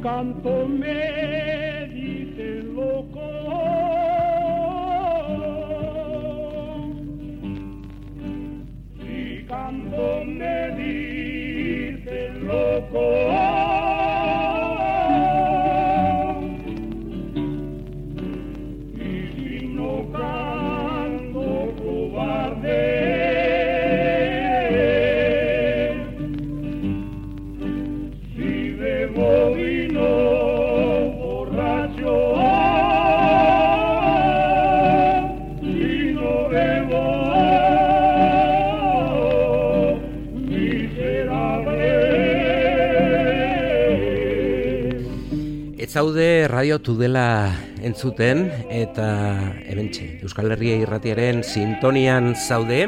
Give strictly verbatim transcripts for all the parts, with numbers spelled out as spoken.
canto me dice loco, si canto me dice loco, y si no canto cobarde. Zaude Radio Tudela entzuten eta hementxe Euskal Herria Irratiaren sintonian zaude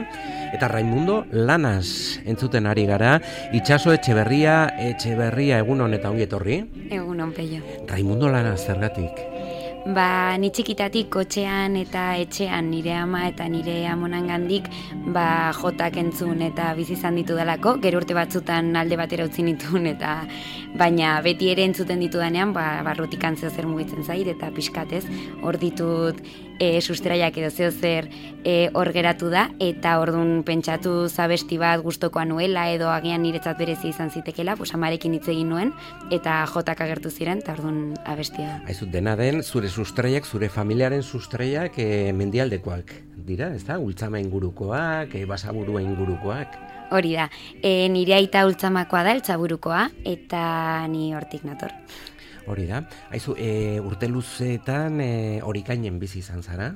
eta Raimundo Lanas entzuten ari gara. Itxaso Etxeberria, Etxeberria egunon eta ongi etorri. Egunon peio. Raimundo Lanas zergatik? Ba, ni txikitatik kotxean eta etxean nire ama eta nire amonangandik ba jotak entzun eta bizi izan ditu dalako, gero urte batzutan alde batera utzi nituen eta baina beti ere entzuten ditudanean ba barrutik antzeo zer mugitzen zait eta pixkatez hor ditut e, sustraiak edo zeo zer e, hor geratu da eta ordun pentsatu zabesti bat gustokoa nuela edo agian niretzat berezi izan zitekela, pues amarekin hitz egin nuen eta jotak agertu ziren eta ordun abestia. Aizu dena den zure sustraiak, zure familiaren sustraiak e, mendialdekoak dira, ezta? Ultzama ingurukoak, e, basaburua ingurukoak. Hori da, e, nire aita ultzamakoa da, Eltzaburukoa, eta ni hortik nator. Hori da, aizu, e, urte luzeetan e, Orikainen bizi izan zara?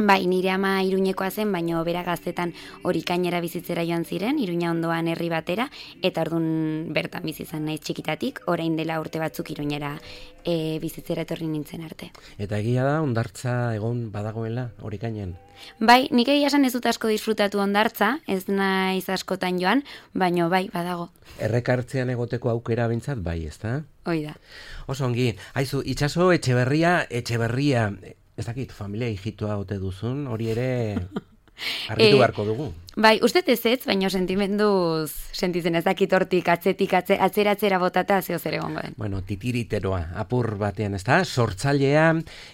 Bai, nire ama Iruñekoa zen, baina bera gaztetan Orikainera bizitzera joan ziren, Iruña ondoan herri batera, eta ordun bertan bizi izan naiz txikitatik, orain dela urte batzuk Iruñera e, bizitzera etorri nintzen arte. Eta egia da, hondartza egon badagoela Orikainen? Bai, nik egia esan ez dut asko disfrutatu hondartza, ez naiz askotan joan, baina bai, badago. Errekartzean egoteko aukera bintzat bai, ezta? Hoi da. Oso ongi, aizu, Itxaso Etxeberria, Etxeberria, ez dakit, familia hijitua ote duzun, hori ere argitu beharko dugu. Bai, uste ez ez, baina sentimenduz sentitzen ez dakit hortik atzetik atze, atzera-atzera botata zeo zer egongo den. Bueno, titiriteroa, apur batean, ez da? Sortzailea,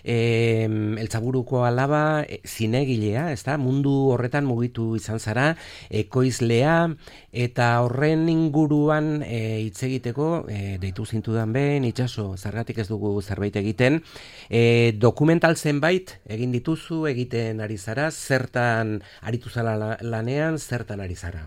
e, Eltzaburuko alaba, e, zinegilea, ez da? Mundu horretan mugitu izan zara, ekoizlea, eta horren inguruan e, hitz egiteko, e, deitu zintudan behin, Itxaso, zergatik ez dugu zerbait egiten, e, dokumental zenbait egin dituzu, egiten ari zara, zertan aritu zara lanean, zertan ari zara?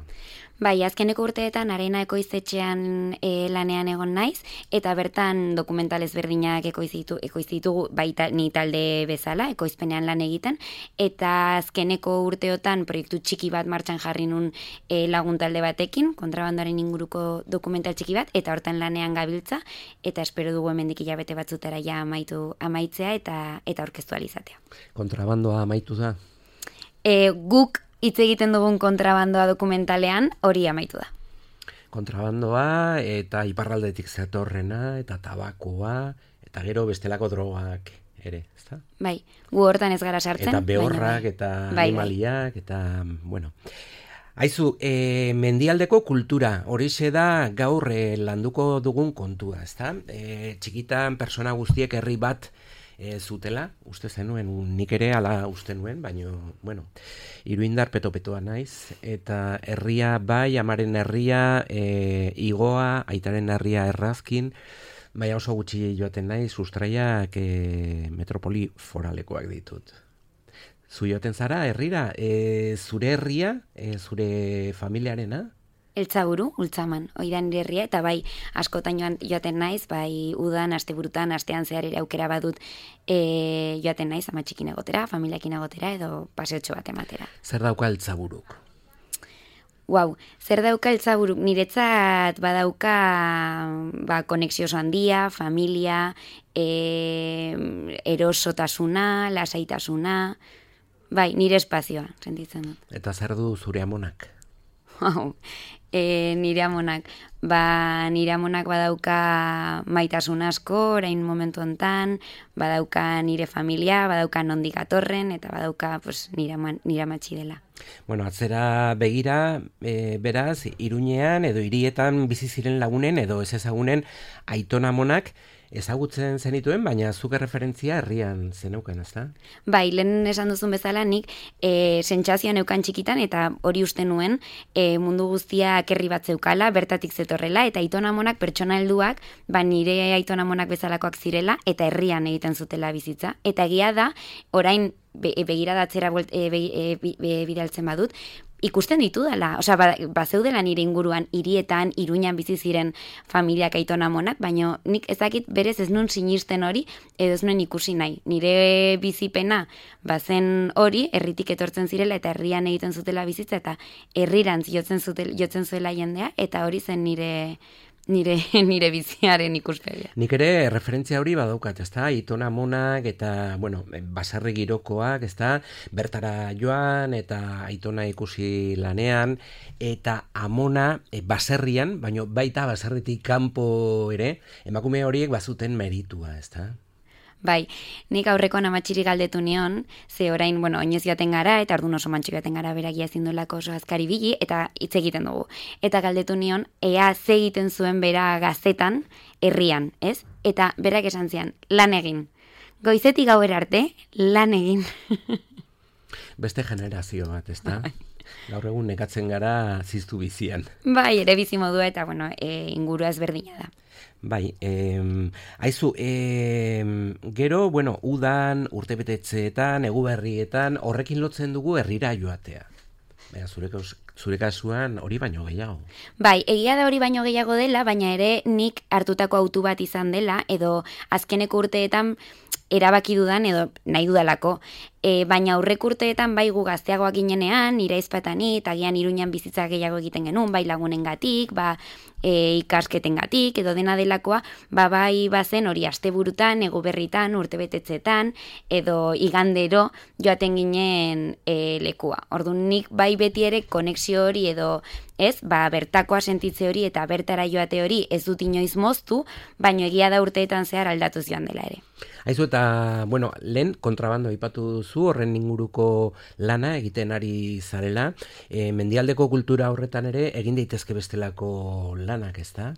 Bai, azkeneko urteetan Arena ekoiztetxean e, lanean egon naiz, eta bertan dokumental ezberdinak ekoizitu, ekoizitugu baita ni talde bezala, ekoizpenean lan egiten, eta azkeneko urteotan proiektu txiki bat martxan jarri nun e, lagun talde batekin, kontrabandoaren inguruko dokumental txiki bat, eta hortan lanean gabiltza, eta espero dugu hemendik hilabete batzutara ja amaitu amaitzea eta eta aurkeztu ahal izatea. Kontrabandoa amaitu da? E, guk hitz egiten dugun kontrabandoa dokumentalean hori amaitu da. Kontrabandoa eta iparraldetik zetorrena eta tabakoa eta gero bestelako drogak ere, ezta? Bai, gu hortan ez gara sartzen. Eta behorrak bai. eta bai, animaliak bai. Eta, bueno. Aizu, e, mendialdeko kultura, horixe da gaur e, landuko dugun kontua, ezta? E, txikitan persona guztiek herri bat E, zutela, uste zenuen, nik ere ala uste nuen, baina, bueno, Iruindar peto-petoa naiz, eta herria bai, amaren herria, e, igoa, aitaren herria errazkin, baina oso gutxi joaten naiz, sustraiak e, metropoli foralekoak ditut. Zu joaten zara, herrira, e, zure herria, e, zure familiarena? Eltzaburu, Ultzaman, hori da nire herria, eta bai askotan joan, joaten naiz, bai udan, asteburutan, astean zehar ere aukera badut e, joaten naiz, ama txikin egotera, familiakin egotera, edo paseotxo bat ematera. Zer dauka Eltzaburuk? Wow, zer dauka Eltzaburuk? Niretzat badauka ba, konexio oso handia, familia, e, erosotasuna, lasaitasuna, bai, nire espazioa, sentitzen dut. Eta zer du zure amonak? Wow. E, nire amonak, ba, nire amonak badauka maitasun asko, orain momentu hontan, badauka nire familia, badauka nondik atorren, eta badauka pues, nire, nire amatxi dela. Bueno, atzera begira, e, beraz, Iruñean edo hirietan bizi ziren lagunen edo ez ezagunen aiton amonak, ezagutzen zenituen, baina zuke referentzia herrian zeneuken, ezta? Bai, lehen esan duzun bezala nik e, sentsazioa neukan txikitan eta hori uste nuen e, mundu guztiak herri bat zeukala, bertatik zetorrela eta aitonamonak pertsona helduak, ba nire aitonamonak bezalakoak zirela eta herrian egiten zutela bizitza. Eta egia da, orain be, begiradatzera e, be, e, be, bidaltzen badut, ikusten ditu dela, osea, ba, bazeudela nire inguruan hirietan, Iruñan bizi ziren familiak aitonamonak, baina nik ezakit berez ez nun sinisten hori, edo ez nuen ikusi nahi. Nire bizipena bazen hori, herritik etortzen zirela eta herrian egiten zutela bizitza eta herrirantz jotzen zutel, jotzen zuela jendea eta hori zen nire nire nire biziaren ikuspegia. Nik ere referentzia hori badaukat, ezta? Aitona amonak eta, bueno, baserri girokoak, ezta? Bertara joan eta aitona ikusi lanean eta amona e, baserrian, baino baita baserritik kanpo ere, emakume horiek bazuten meritua, ezta? Bai, nik aurreko amatxiri galdetu nion, ze orain, bueno, oinez joaten gara, eta orduan oso mantxik joaten gara beragia ezin duelako oso azkari bili, eta hitz egiten dugu. Eta galdetu nion, ea ze egiten zuen bera gazetan, herrian, ez? Eta berak esan zian, lan egin. Goizetik gauera arte, lan egin. Beste generazio bat, ezta? Gaur egun nekatzen gara ziztu bizian. Bai, ere bizi modua eta, bueno, e, ingurua ezberdina da. Bai, eh, aizu, eh, gero, bueno, udan, urtebetetzeetan, eguberrietan, horrekin lotzen dugu herrira joatea. Baina, zure, zure kasuan hori baino gehiago. Bai, egia da hori baino gehiago dela, baina ere nik hartutako autu bat izan dela, edo azkeneko urteetan erabaki dudan edo nahi dudalako. E, baina aurrek urteetan bai gu gazteagoak ginenean, nire izpatani, eta gian Iruñan bizitza gehiago egiten genuen, bai lagunengatik, ba e, ikasketengatik, edo dena delakoa, ba bai bazen hori asteburutan, eguberritan, urtebetetzetan, edo igandero joaten ginen e, lekua. Orduan nik bai beti ere konexio hori edo ez, ba bertakoa sentitze hori eta bertara joate hori ez dut inoiz moztu, baino egia da urteetan zehar aldatuz joan dela ere. Aizu eta, bueno, lehen kontrabando aipatu duzu, horren inguruko lana egiten ari zarela, e, mendialdeko kultura horretan ere egin daitezke bestelako lanak, ezta?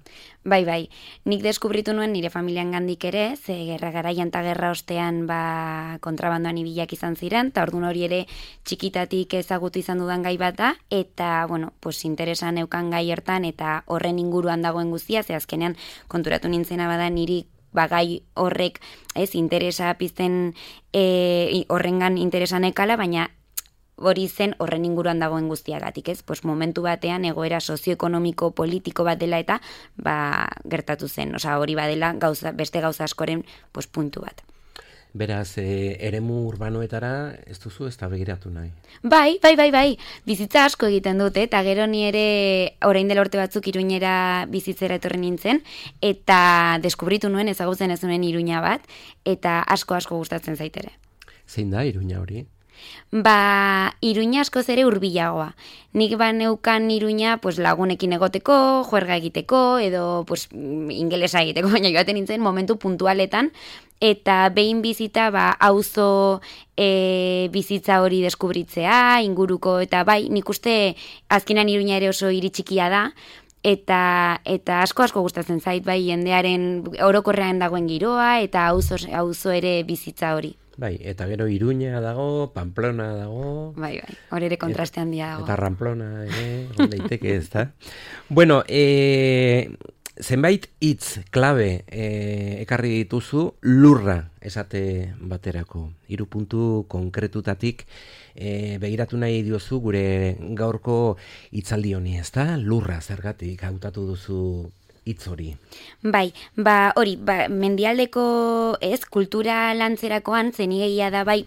Bai, bai, nik deskubritu nuen nire familian gandik ere, ze gerra garaian eta gerra ostean ba, kontrabandoan ibilak izan ziren, eta orduan hori ere txikitatik ezagutu izan dudan gai bat da, eta, bueno, pues interesan eukan gai hartan eta horren inguruan dagoen guztia, ze azkenean konturatu nintzena bada niri bagai horrek ez interesa pizten e, horrengan interesan ekala, baina hori zen horren inguruan dagoen guztiagatik, ez? Pues momentu batean egoera sozioekonomiko politiko bat dela eta ba, gertatu zen, osea hori badela gauza, beste gauza askoren pues, puntu bat. Beraz, e, eremu urbanoetara ez duzu ez da begiratu nahi? Bai, bai, bai, bai. Bizitza asko egiten dute, eta gero ni ere orain dela urte batzuk Iruñera bizitzera etorri nintzen, eta deskubritu nuen ezagutzen ez nuen Iruña bat, eta asko asko gustatzen zaitere. Zein da Iruña hori? Ba, Iruña askoz ere hurbilagoa. Nik ba neukan Iruña pues, lagunekin egoteko, juerga egiteko, edo pues, ingelesa egiteko, baina joaten nintzen momentu puntualetan, eta behin bizita ba, auzo e, bizitza hori deskubritzea, inguruko, eta bai, nik uste azkenan Iruña ere oso hiri txikia da, eta eta asko asko gustatzen zait, bai, jendearen orokorrean dagoen giroa, eta auzo, auzo ere bizitza hori. Bai, eta gero Iruña dago, Pamplona dago... Bai, bai, hori ere kontraste handia dago. Eta Ramplona ere, daiteke ez da. Bueno, e, zenbait hitz klabe e, ekarri dituzu lurra esate baterako. Hiru puntu konkretutatik e, begiratu nahi diozu gure gaurko hitzaldi honi, ez da? Lurra zergatik hautatu duzu hitz hori. Bai, ba hori, ba, mendialdeko ez, kultura lantzerakoan zenigeia da bai,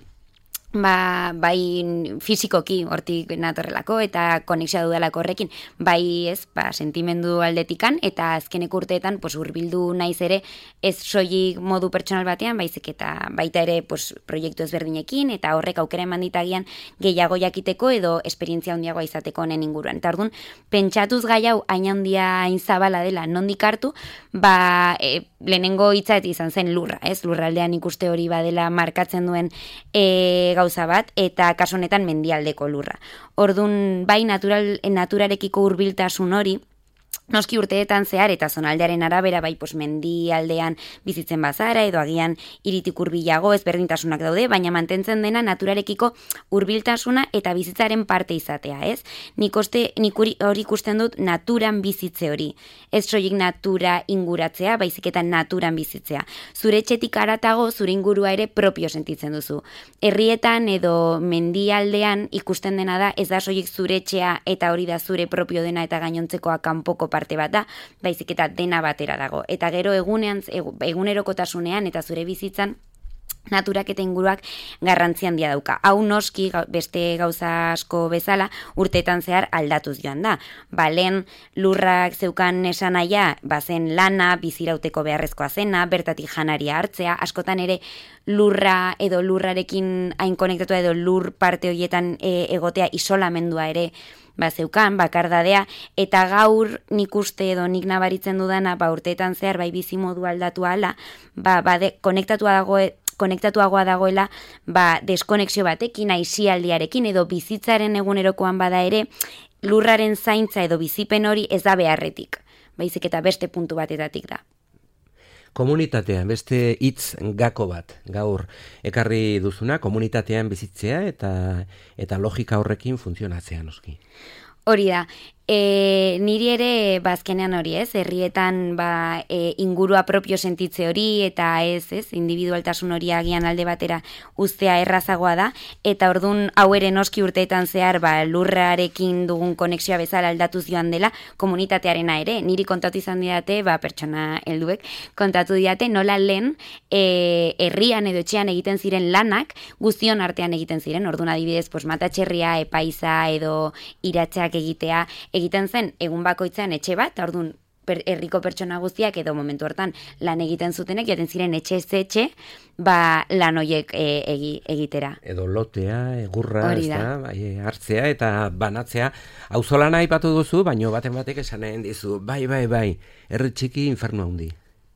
ba, bai fisikoki hortik natorrelako eta konexioa dudalako horrekin, bai ez, ba, sentimendu aldetikan eta azkeneko urteetan pues, urbildu naiz ere ez soilik modu pertsonal batean, baizik eta baita ere pues, proiektu ezberdinekin eta horrek aukera eman ditagian gehiago jakiteko edo esperientzia handiagoa izateko honen inguruan. Eta orduan, pentsatuz gai hau hain handia hain zabala dela nondik hartu, ba, e, lehenengo hitza izan zen lurra, ez? Lurraldean ikuste hori badela markatzen duen e, gauza bat, eta kasu honetan mendialdeko lurra. Orduan, bai natural, naturarekiko hurbiltasun hori, Noski urteetan zehar eta zonaldearen arabera bai pos mendialdean bizitzen bazara edo agian hiritik hurbilago ezberdintasunak daude, baina mantentzen dena naturarekiko hurbiltasuna eta bizitzaren parte izatea, ez? Nik oste, nik hori ikusten dut naturan bizitze hori. Ez soilik natura inguratzea, baizik eta naturan bizitzea. Zure etxetik haratago zure ingurua ere propio sentitzen duzu. Herrietan edo mendialdean ikusten dena da ez da soilik zure etxea eta hori da zure propio dena eta gainontzekoa kanpoko parte bat da, baizik eta dena batera dago. Eta gero egunean, egunerokotasunean eta zure bizitzan naturak eta inguruak garrantzi handia dauka. Hau noski beste gauza asko bezala urteetan zehar aldatuz joan da. Ba, lehen lurrak zeukan esan aia, bazen lana, bizirauteko beharrezkoa zena, bertatik janaria hartzea, askotan ere lurra edo lurrarekin hain konektatua edo lur parte horietan e, egotea isolamendua ere ba zeukan, bakardadea, eta gaur nik uste edo nik nabaritzen dudana, ba urteetan zehar bai bizimodu aldatu ala, ba, ba de, konektatua dago konektatuagoa dagoela ba, deskonexio batekin, aisialdiarekin edo bizitzaren egunerokoan bada ere, lurraren zaintza edo bizipen hori ez da beharretik, baizik eta beste puntu batetatik da. Komunitatean, beste hitz gako bat, gaur ekarri duzuna, komunitatean bizitzea eta eta logika horrekin funtzionatzea noski. Hori da, e, niri ere bazkenean hori ez, herrietan ba, e, ingurua propio sentitze hori eta ez, ez, individualtasun hori agian alde batera uztea errazagoa da, eta ordun hau ere noski urteetan zehar ba, lurrarekin dugun konexioa bezala aldatuz joan dela, komunitatearena ere, niri kontatu izan didate, ba, pertsona helduek, kontatu didate nola lehen e, herrian edo etxean egiten ziren lanak, guztion artean egiten ziren, ordun adibidez, pos, matatxerria, epaiza edo iratxeak egitea, egiten zen egun bakoitzean etxe bat, ordun per, herriko pertsona guztiak edo momentu hortan lan egiten zutenek, jaten ziren etxe ez etxe, ba lan horiek e, egi, egitera. Edo lotea, egurra, ez da, bai, hartzea eta banatzea. Auzolana aipatu duzu, baino baten batek esanen dizu, bai, bai, bai, herri txiki infernu handi.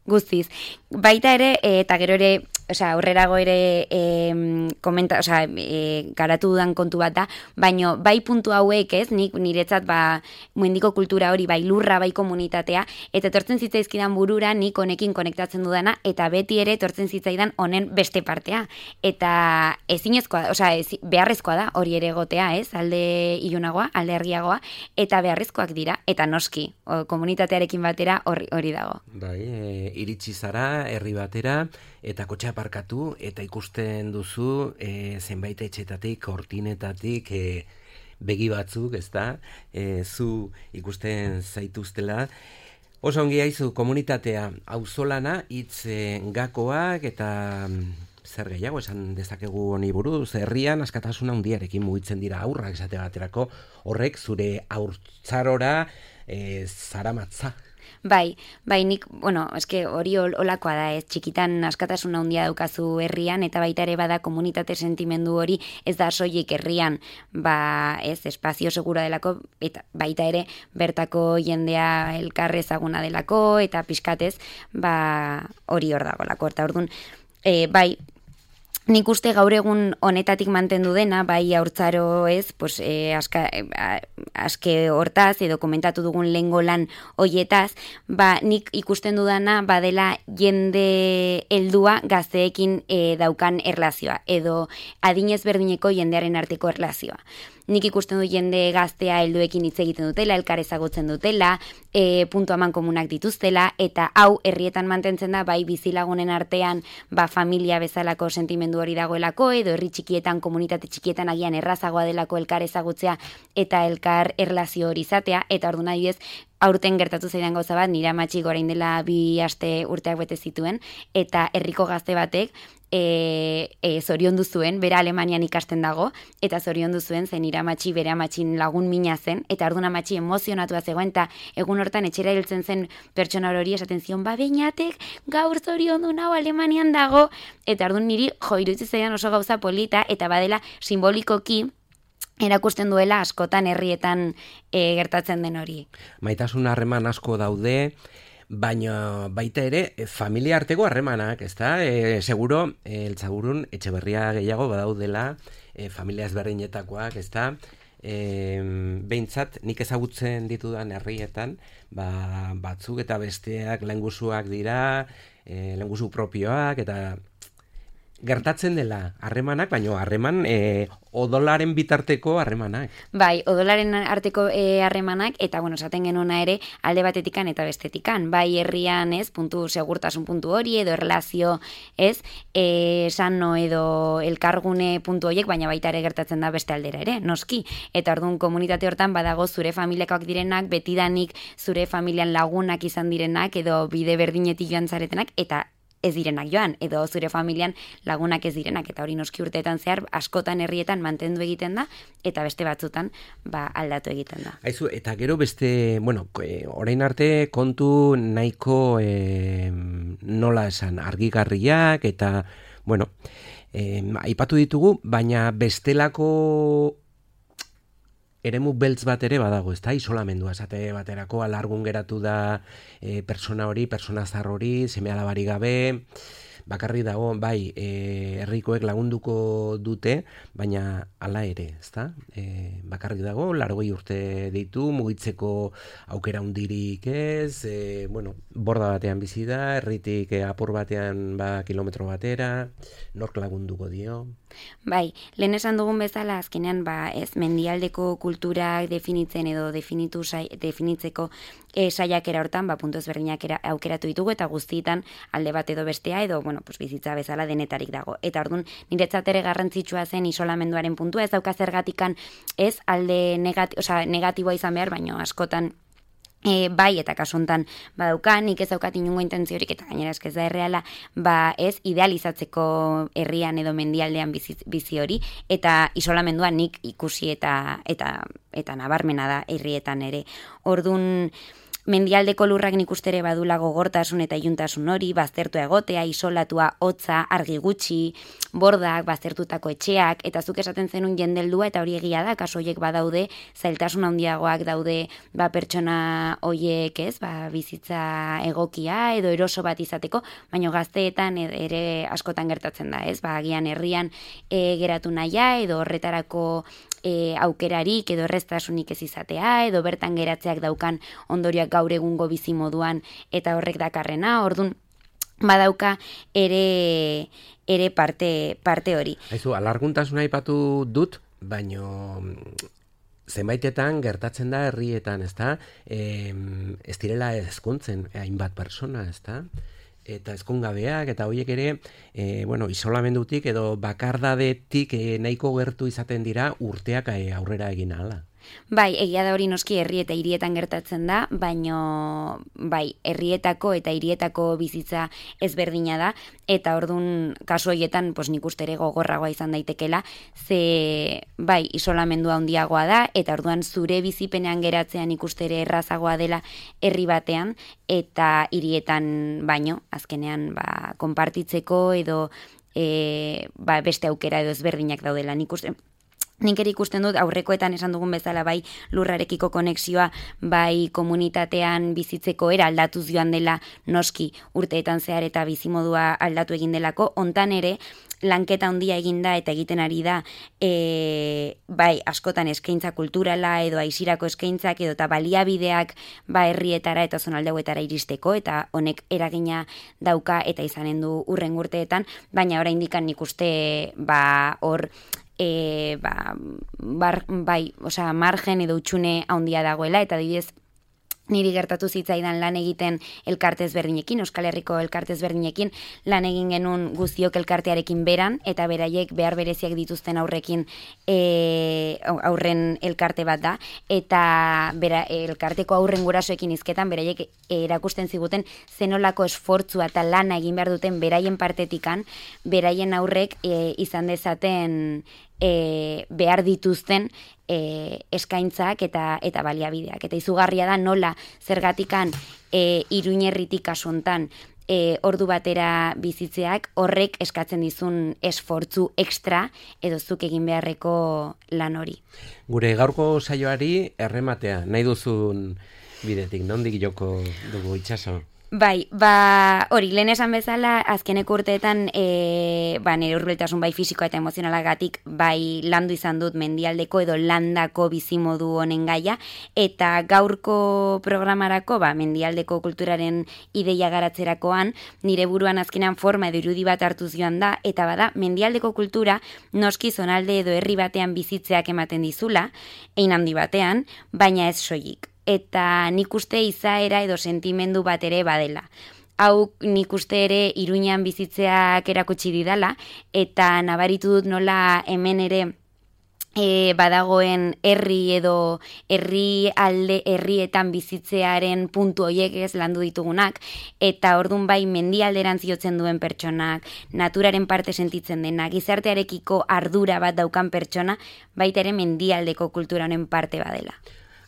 Guztiz. Baita ere, e, eta gero ere, osea, aurrerago ere e, komenta, osea, e, garatu dudan kontu bat da, baino bai puntu hauek ez, nik niretzat ba mendiko kultura hori bai lurra, bai komunitatea, eta etortzen zitzaizkidan burura nik honekin konektatzen dudana, eta beti ere etortzen zitzaidan honen beste partea. Eta ezinezkoa, osea, ez, beharrezkoa da hori ere egotea, ez, alde ilunagoa, alde argiagoa, eta beharrezkoak dira, eta noski, o, komunitatearekin batera hori, hori dago. Bai, e, iritsi zara herri batera eta kotxea parkatu eta ikusten duzu e, zenbait etxetatik, kortinetatik e, begi batzuk, ezta? E, zu ikusten zaituztela. Oso ongi haizu komunitatea, auzolana, hitz e, gakoak eta zer gehiago esan dezakegu honi buruz, herrian askatasuna handiarekin mugitzen dira aurrak esate baterako, horrek zure haurtzarora e, zaramatza. Bai, bai, nik, bueno, eske hori olakoa da, ez, txikitan askatasuna handia daukazu herrian, eta baita ere bada komunitate sentimendu hori, ez da soilik herrian, ba, ez, espazio segura delako, eta baita ere bertako jendea elkar ezaguna delako, eta pixkatez, ba, hori hor dagolako, eta orduan, e, bai, nik uste gaur egun honetatik mantendu dena, bai haurtzaro ez, pues, e, aska, e, aske hortaz, edo komentatu dugun lehengo lan hoietaz, ba, nik ikusten dudana badela jende heldua gazteekin e, daukan erlazioa, edo adinez berdineko jendearen arteko erlazioa. Nik ikusten du jende gaztea helduekin hitz egiten dutela, elkar ezagutzen dutela, e, puntu aman komunak dituztela, eta hau herrietan mantentzen da, bai bizilagunen artean, ba familia bezalako sentimendu hori dagoelako, edo herri txikietan, komunitate txikietan agian errazagoa delako elkar ezagutzea, eta elkar erlazio hori izatea, eta orduan adibidez, aurten gertatu zaidan gauza bat, nire amatxik orain dela bi aste urteak bete zituen, eta herriko gazte batek, E, e, zoriondu zuen, bera Alemanian ikasten dago, eta zoriondu zuen, zen nire amatxi bere amatxin lagun mina zen, eta orduan amatxi emozionatua zegoen, eta egun hortan etxera hiltzen zen pertsona hori esaten zion, ba beinatek gaur zoriondu nau Alemanian dago, eta orduan niri jo irutzi zaidan oso gauza polita, eta badela simbolikoki erakusten duela askotan herrietan e, gertatzen den hori. Maitasun harreman asko daude, baina baita ere familia arteko harremanak, ezta? E, seguro, e, eltzagurun etxeberria gehiago badaudela, e, familia ezberdinetakoak, ezta? e, behintzat nik ezagutzen ditudan herrietan, ba, batzuk eta besteak lehengusuak dira, e, lehengusu propioak, eta gertatzen dela harremanak, baino harreman e, odolaren bitarteko harremanak. Bai, odolaren arteko harremanak, e, eta, bueno, esaten genuna ere, alde batetikan eta bestetikan. Bai, herrian, ez, puntu, segurtasun puntu hori, edo erlazio, ez, e, sano edo elkargune puntu horiek, baina baita ere gertatzen da beste aldera ere, noski. Eta orduan komunitate hortan badago zure familiakoak direnak, betidanik zure familian lagunak izan direnak, edo bide berdinetik joan zaretenak, eta ez direnak joan, edo zure familian lagunak ez direnak, eta hori noski urteetan zehar askotan herrietan mantendu egiten da, eta beste batzutan ba, aldatu egiten da. Aizu, eta gero beste, bueno, e, orain arte kontu nahiko e, nola esan, argigarriak, eta, bueno, e, aipatu ditugu, baina bestelako eremu beltz bat ere badago, ezta? Isolamendua esate baterako alargun geratu da e, persona hori, persona zar hori, seme alabari gabe, bakarri dago, bai, e, herrikoek lagunduko dute, baina hala ere, ezta? E, bakarri dago, largoi urte ditu, mugitzeko aukera hundirik ez, e, bueno, borda batean bizi da, herritik e, apur batean ba, kilometro batera, nork lagunduko dio? Bai, lehen esan dugun bezala, azkenean, ba, ez, mendialdeko kulturak definitzen edo definitu sai, definitzeko e, saiakera hortan, ba, puntu ezberdinak aukeratu ditugu, eta guztietan alde bat edo bestea, edo, bueno, pues, bizitza bezala denetarik dago. Eta orduan, niretzat ere garrantzitsua zen isolamenduaren puntua, ez dauka zergatikan, ez, alde negati, oza, negatiboa izan behar, baino askotan, E, bai, eta kasuntan badauka, nik ez daukat inungo intentziorik, eta gainera eskez da erreala, ba ez idealizatzeko herrian edo mendialdean bizi, bizi hori, eta isolamendua nik ikusi eta eta eta nabarmena da herrietan ere. Ordun mendialdeko lurrak nik uste ere badula gogortasun eta iluntasun hori, baztertua egotea, isolatua, hotza, argi gutxi, bordak, baztertutako etxeak, eta zuk esaten zenun jendeldua, eta hori egia da, kaso horiek badaude, zailtasun handiagoak daude, ba, pertsona horiek, ez, ba, bizitza egokia, edo eroso bat izateko, baina gazteetan ere askotan gertatzen da, ez, ba, agian herrian e, geratu nahia, edo horretarako E, aukerarik edo erreztasunik ez izatea, edo bertan geratzeak daukan ondorioak gaur egungo bizi moduan eta horrek dakarrena, ordun badauka ere ere parte parte hori. Aizu, alarguntasuna aipatu dut, baino zenbaitetan gertatzen da herrietan, ezta? E, ez direla ezkontzen hainbat persona, ezta? Eta ezkongabeak, eta horiek ere, e, bueno, isolamendutik edo bakardadetik e, nahiko gertu izaten dira urteak e, aurrera egin ahala. Bai, egia da hori noski herri eta hirietan gertatzen da, baino bai, herrietako eta hirietako bizitza ezberdina da, eta ordun kasu horietan, pues nik uste ere gogorragoa izan daitekela, ze bai, isolamendua handiagoa da, eta orduan zure bizipenean geratzean ikuste ere errazagoa dela herri batean, eta hirietan baino, azkenean ba, konpartitzeko edo e, ba, beste aukera edo ezberdinak daudela, nik uste. Nik ere ikusten dut aurrekoetan esan dugun bezala bai lurrarekiko konexioa, bai komunitatean bizitzeko era aldatuz joan dela noski urteetan zehar eta bizimodua aldatu egin delako, hontan ere lanketa handia eginda eta egiten ari da e, bai askotan eskaintza kulturala edo aisirako eskaintzak edo eta baliabideak ba herrietara eta zonaldeetara iristeko, eta honek eragina dauka eta izanen du hurrengo urteetan, baina oraindik nik uste ba hor E, ba, bar, bai, osea, margen edo utxune handia dagoela, eta adibidez niri gertatu zitzaidan lan egiten elkarte ezberdinekin, Euskal Herriko elkarte ezberdinekin, lan egin genuen guztiok elkartearekin beran, eta beraiek behar bereziak dituzten aurrekin e, aurren elkarte bat da, eta bera, elkarteko aurren gurasoekin izketan, beraiek erakusten ziguten zenolako esfortzua eta lana egin behar duten beraien partetikan, beraien aurrek e, izan dezaten E, behar dituzten e, eskaintzak eta eta baliabideak. Eta izugarria da nola zergatikan e, Iruñerritik kasuntan e, ordu batera bizitzeak horrek eskatzen dizun esfortzu extra edo zuk egin beharreko lan hori. Gure gaurko saioari errematea, nahi duzun bidetik, nondik joko dugu Itxaso? Bai, ba, hori, lehen esan bezala, azkeneko urteetan, e, ba, nire hurbiltasun bai fisikoa eta emozionalagatik, bai landu izan dut mendialdeko edo landako bizimodu honen gaia, eta gaurko programarako, ba, mendialdeko kulturaren ideia garatzerakoan, nire buruan azkenan forma edo irudi bat hartuz joan da, eta bada, mendialdeko kultura noski zonalde edo herri batean bizitzeak ematen dizula, ein handi batean, baina ez soilik. Eta nik uste izaera edo sentimendu bat ere badela. Hau nik uste ere Iruñan bizitzeak erakutsi didala, eta nabaritu dut nola hemen ere e, badagoen herri edo herri alde herrietan bizitzearen puntu hoiek ez landu ditugunak, eta ordun bai mendialderantz jotzen duen pertsonak, naturaren parte sentitzen dena, gizartearekiko ardura bat daukan pertsona, baita ere mendialdeko kultura honen parte badela.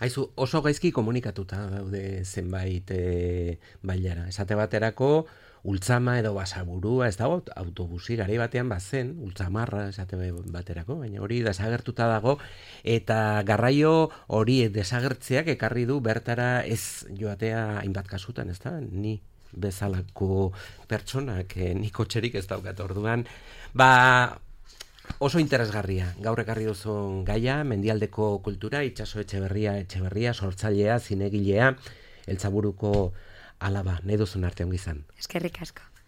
Aizu, oso gaizki komunikatuta daude zenbait e, bailara. Esate baterako, Ultzama edo Basaburua, ez dago, autobusi gari batean bazen, Ultzamarra esate baterako, baina hori desagertuta dago, eta garraio hori desagertzeak ekarri du bertara ez joatea hainbat kasutan, ez da? Ni bezalako pertsonak, eh, ni kotxerik ez daukat orduan, ba... Oso interesgarria, gaur ekarri duzun gaia, mendialdeko kultura, Itxaso Etxeberria, Etxeberria, sortzailea, zinegilea, Eltzaburuko alaba, nahi duzun arte ongi izan. Eskerrik asko.